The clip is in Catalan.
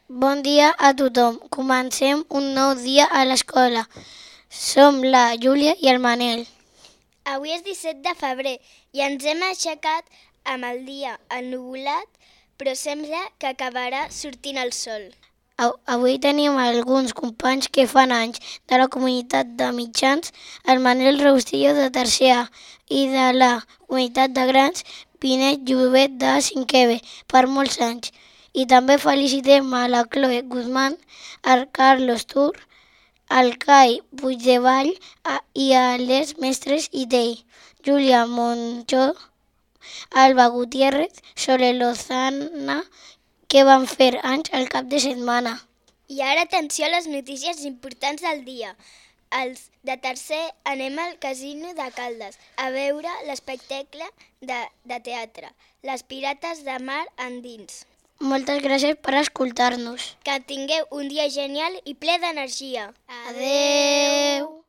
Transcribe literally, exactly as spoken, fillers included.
Bon dia a tothom. Comencem un nou dia a l'escola. Som la Júlia i el Manel. Avui és disset de febrer i ens hem aixecat amb el dia ennuvolat, però sembla que acabarà sortint el sol. Av- Avui tenim alguns companys que fan anys de la comunitat de mitjans, el Manel Roustillo de tercer A i de la comunitat de grans, Pinet Llobet de cinquè B, per molts anys. I també felicitem a la Chloe Guzmán, al Carlos Tur, al Cai Puigdevall a- i a les mestres I T I, Júlia Monchó, Alba Gutiérrez, Sole Lozana, que van fer anys al cap de setmana. I ara atenció a les notícies importants del dia. Els de tercer anem al Casino de Caldes a veure l'espectacle de, de teatre, Les Pirates de Mar Endins. Moltes gràcies per escoltar-nos. Que tingueu un dia genial i ple d'energia. Adeu!